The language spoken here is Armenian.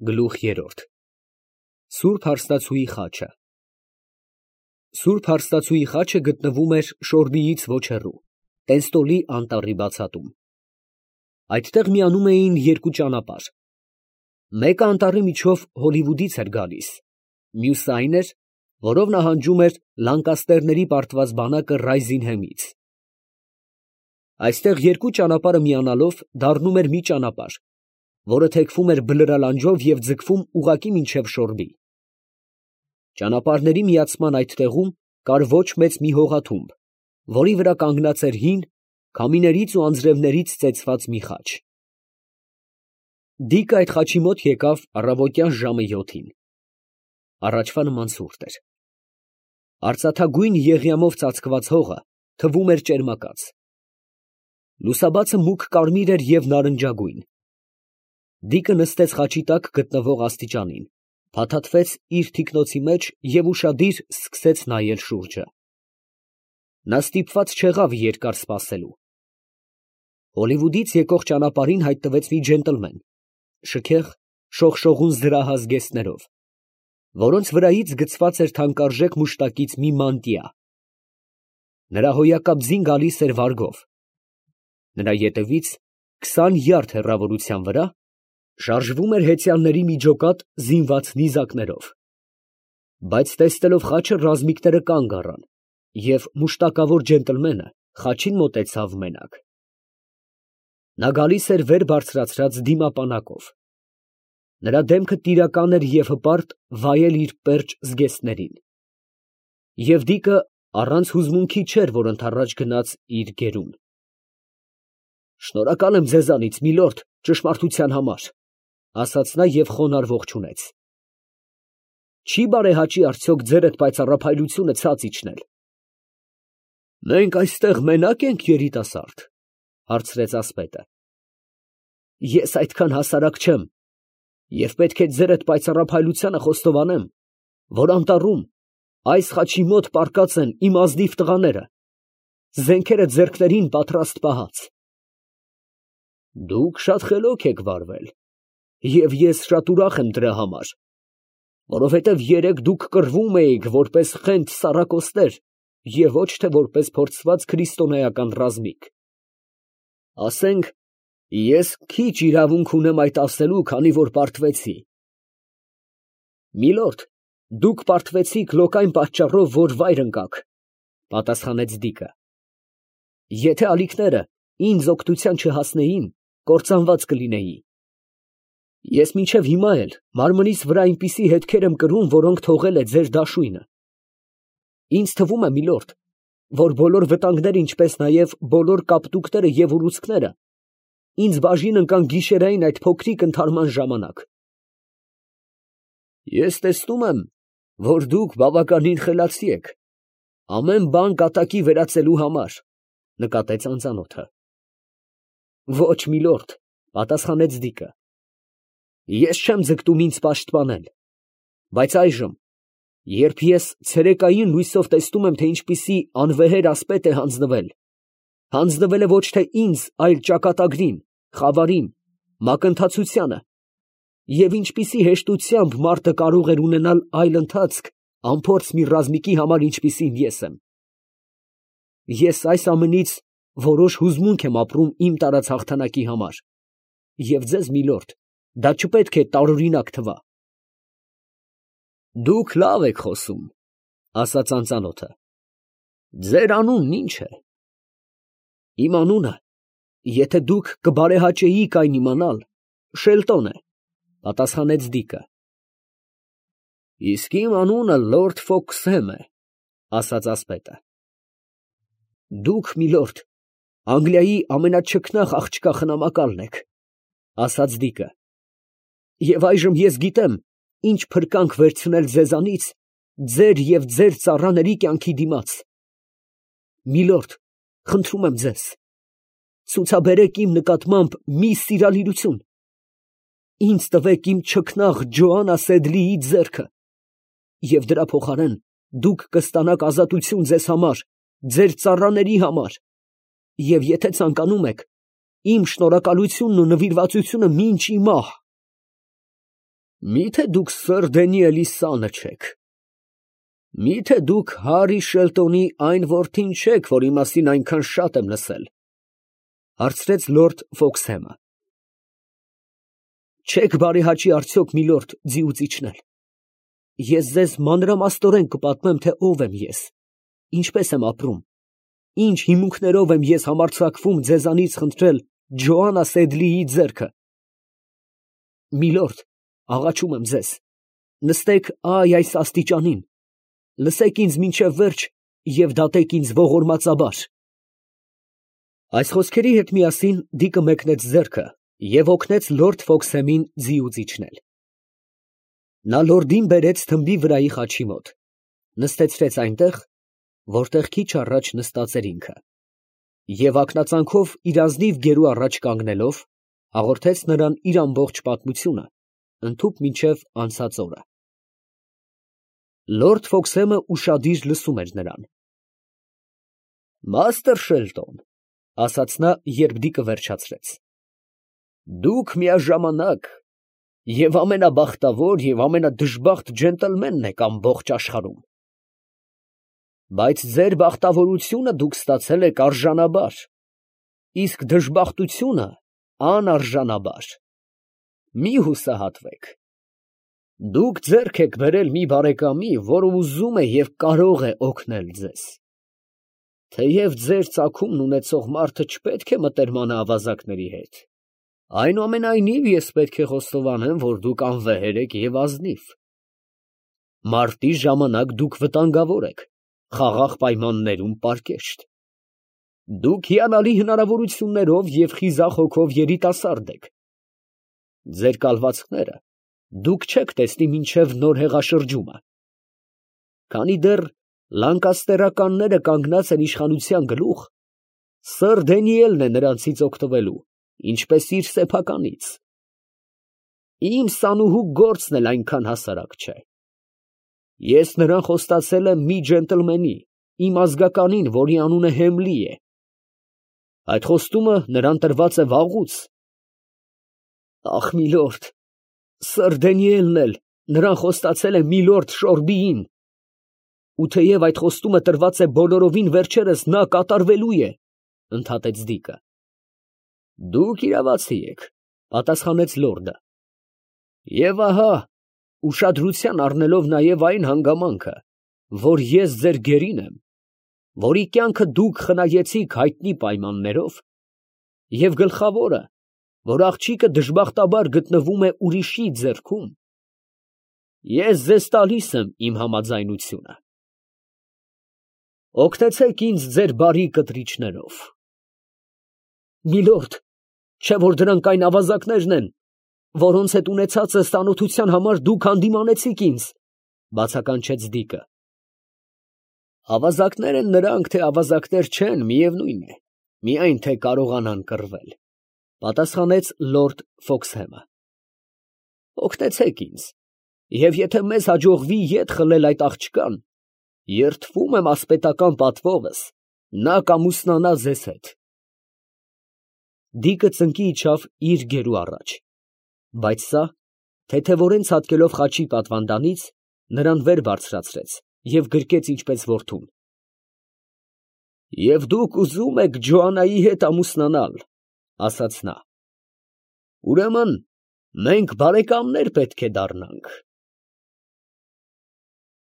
Գլուխ 3 Սուրբ հարստացուի խաչը Սուրբ հարստացուի խաչը գտնվում էր Շորբիից ոչ հեռու, Տենստոլի անտառի բացատում։ Այդտեղ միանում էին երկու ճանապարհ. մեկը անտառի միջով Հոլիվուդից էր գալիս, մյուսը այն էր, որով նահանջում էր Լանկաստերների պարտված բանակը Ռայզինհեմից։ Այստեղ երկու ճանապարհը միանալով դառնում էր մի ճանապարհ, որը թեքվում էր բլրալանջով և ձգվում ուղղակի մինչև Շորբի։ Ճանապարհների միացման այդ տեղում կար ոչ մեծ մի հողաթումբ, որի վրա կանգնած էր հին, քամիներից ու անձրևներից ծեծված մի խաչ։ Դիկը այդ խաչի մոտ եկավ առավոտյան ժամը 7-ին։ Առաջվա նման ցուրտ էր։ Արծաթագույն եղյամով ծածկված հողը թվում էր ճերմակած։ Լուսաբացը մուգ կարմիր էր և նարնջագույն։ Դիկը նստեց խաչի տակ գտնվող աստիճանին, փաթաթվեց իր թիկնոցի մեջ և ուշադիր սկսեց նայել շուրջը։ Նա ստիպված չեղավ երկար սպասելու։ Հոլիվուդից եկող ճանապարհին հայտնվեց մի ջենտլմեն, շքեղ, շողշողուն զրահ զգեստներով, որոնց վրայից գցված էր թանկարժեք մուշտակից մի մանտիա։ Նրա հոյակապ ձին գալիս էր վարգով։ Նրա ետևից 20 յարդ հեռավորության վրա շարժվում էր հեծյալների մի ջոկատ զինված նիզակներով։ Բայց տեսնելով խաչը ռազմիկները կանգ առան, և մուշտակավոր ջենտլմենը խաչին մոտեցավ մենակ։ Նա գալիս էր վեր բարձրացրած դիմապանակով։ Նրա դեմքը տիրական էր և հպարտ վայել իր պերճ զգեստներին։ Եվ դիկը առանց հուզմունքի չէր, որ ընդառաջ գնաց իր գերուն։ «Շնորհակալ եմ ձեզանից, միլորդ, ճշմարտության համար», ֊ ասաց նա և խոնարհ ողջունեց։ «Չի՞ բարեհաճի արդյոք ձեր այդ պայծառափայլությունը ցած իջնել»։ «Մենք այստեղ մենա՞կ ենք, երիտասարդ», ֊ հարցրեց ասպետը։ «Ես այդքան հասարակ չեմ, և պետք է ձեր այդ պայծառափայլությանը խոստովանեմ, որ անտառում, այս խաչի մոտ պառկած են իմ ազնիվ տղաները, զենքերը ձեռքներին պատրաստ պահած։ Դուք շատ խելոք եք վարվել, և ես շատ ուրախ եմ դրա համար, որովհետև երեկ դուք կռվում էիք որպես խենթ սառակոսներ և ոչ թե որպես փորձված քրիստոնեական ռազմիկ։ Ասենք, ես քիչ իրավունք ունեմ այդ ասելու, քանի որ պարտվեցի։ Միլորդ, դուք պարտվեցիք լոկայն պատճառով, որ վայր ընկաք, ֊ պատասխանեց դիկը։ Եթե ալիքները ինձ օգնության չհասնեին, կործանված կլինեի։ Ես մինչև հիմա էլ մարմնիս վրա այնպիսի հետքեր եմ կրում, որոնք թողել է ձեր դաշույնը։ Ինձ թվում է, միլորդ, որ բոլոր վտանգները, ինչպես նաև բոլոր կապտուկները և ուռուցքները ինձ բաժին ընկան գիշերային այդ փոքրիկ ընդհարման ժամանակ։ Ես տեսնում եմ, որ դուք բավականին խելացի եք, ամեն բան կատակի վերածելու համար, ֊ նկատեց անծանոթը։ Ոչ, միլորդ, ֊ պատասխանեց դիկը, ես չեմ ձգտում ինձ պաշտպանել, բայց այժմ, երբ ես ցերեկային լույսով տեսնում եմ, թե ինչպիսի անվեհեր ասպետ է հանձնվել է ոչ թե ինձ, այլ ճակատագրին, խավարին, մակընթացությանը, և ինչպիսի հեշտությամբ մարդը կարող էր ունենալ այլ ընթացք անփորձ մի ռազմիկի համար, ինչպիսին ես եմ։ Ես այս ամենից որոշ հուզմունք եմ ապրում իմ տարած հաղթանակի համար, և ձեզ, միլորդ, դա չպետք է տարօրինակ թվա։ Դուք լավ եք խոսում, ֊ ասաց անծանոթը։ Ձեր անունն ի՞նչ է։ Իմ անունը, եթե դուք կբարեհաճեիք այն իմանալ, Շելտոն է, ֊ պատասխանեց դիկը։ Իսկ իմ անունը լորդ Ֆոքսհեմ է, ֊ ասաց ասպետը։ Դուք, միլորդ, Անգլիայի ամենաչքնաղ աղջկա խնամակալն եք, ֊ ասաց դիկը, և այժմ ես գիտեմ ինչ փրկանք վերցնել ձեզանից ձեր և ձեր ծառաների կյանքի դիմաց։ Միլորդ, խնդրում եմ ձեզ, ցուցաբերեք իմ նկատմամբ մի սիրալիրություն, ինձ տվեք իմ չքնաղ Ջոանա Սեդլիի ձեռքը, և դրա փոխարեն դուք կստանաք ազատություն ձեզ համար, ձեր ծառաների համար, և եթե ցանկանում եք, իմ շնորհակալությունն ու նվիրվածությունը մինչ ի մահ։ Մի՞թե դուք Սըր Դենիելի սանը չեք։ Մի՞թե դուք Հարի Շելտոնի այն որդին չեք, որի մասին այնքան շատ եմ լսել, հարցրեց լորդ Ֆոքսհեմը։ Չեք բարեհաճի արդյոք, միլորդ, ձիուց իջնել։ Ես ձեզ մանրամասնորեն կպատմեմ, թե ով եմ ես, ինչպես եմ ապրում, ինչ հիմունքներով եմ ես համարձակվում ձեզանից խնդրել Ջոանա Սեդլիի ձեռքը։ Միլորդ, աղաչում եմ ձեզ, նստեք այս աստիճանին, լսեք ինձ մինչև վերջ և դատեք ինձ ողորմածաբար։ Այս խոսքերի հետ միասին Դիկը մեկնեց ձեռքը և օգնեց լորդ Ֆոքսհեմին ձիուց իջնել։ Նա լորդին բերեց թմբի վրայի խաչի մոտ, նստեցրեց այնտեղ, որտեղ քիչ առաջ նստած էր ինքը, և ակնածանքով իր ազնիվ գերու առաջ կանգնելով, հաղորդեց նրան իր ամբողջ պատմությունը, ընդհուպ մինչև անցած օրը։ Լորդ Ֆոքսհեմը ուշադիր լսում էր նրան։ Մաստր Շելտոն, ասաց նա, երբ Դիկը վերջացրեց, դուք միաժամանակ և ամենաբախտավոր և ամենադժբախտ ջենտլմենն եք ամբողջ աշխարհում, բայց ձեր բախտավորությունը դուք ստացել եք արժանաբար, իսկ դժբախտությունը անարժանաբար։ Մի հուսահատվեք, դուք ձեռք եք բերել մի բարեկամի, որը ուզում է և կարող է օգնել ձեզ։ Թեև ձեր ծագումն ունեցող մարդը չպետք է մտերմանա ավազակների հետ, այնուամենայնիվ ես պետք է խոստովանեմ, որ դուք անվեհեր եք և ազնիվ։ Մարտի ժամանակ դուք վտանգավոր եք, խաղաղ պայմաններում պարկեշտ։ Դուք հիանալի հնարավորություններով և խիզախ հոգով երիտասարդ եք։ Ձեր կալվածքները դուք չեք տեսնի մինչև նոր հեղաշրջումը։ Քանի դեռ լանկաստերականները կանգնած են իշխանության գլուխ, Սըր Դենիելն է նրանցից օգտվելու, ինչպես իր սեփականից։ Իմ սանուհու գործն էլ այնքան հասարակ չէ։ Ես նրան խոստացել եմ մի ջենտլմենի, իմ ազգականին, որի անունը Հեմլի է։ Այդ խոստումը նրան տրված է վաղուց։ Ախ, միլորդ, Սըր Դենիելն էլ նրան խոստացել է միլորդ Շորբիին, ու թեև այդ խոստումը տրված է բոլորովին վերջերս նա կատարվելու է, ընդհատեց Դիկը։ Դուք իրավացի եք, պատասխանեց լորդը։ Եվ ահա, ուշադրության առնելով նաև այն հանգամանքը, որ ես ձեր գերին եմ, որի կյանքը դուք խնայեցիք հայտնի պայմաններով, և գլխավորը, որ աղջիկը դժբախտաբար գտնվում է ուրիշի ձեռքում, ես ձեզ տալիս եմ իմ համաձայնությունը։ Օգնեցեք ինձ ձեր բարի կտրիչներով։ Միլորդ, չէ՞ որ դրանք այն ավազակներն են, որոնց հետ ունեցածս ծանոթության համար դուք հանդիմանեցիք ինձ, բացականչեց Դիկը։ Ավազակներ են նրանք, թե ավազակներ չեն, միևնույն է, միայն թե կարողանան կռվել, պատասխանեց լորդ Ֆոքսհեմը։ Օգնեցեք ինձ, և եթե մեզ հաջողվի ետ խլել այդ աղջկան, երդվում եմ ասպետական պատվովս, նա կամուսնանա ձեզ հետ։ Դիկը ծնկի իջավ իր գերու առաջ, բայց սա, թեթևորեն ցատկելով խաչի պատվանդանից, նրան վեր բարձրացրեց և գրկեց ինչպես որդուն։ Եվ դուք ուզում եք Ջոանայի հետ ամուսնանալ, ասաց նա։ Ուրեմն մենք բարեկամներ պետք է դառնանք։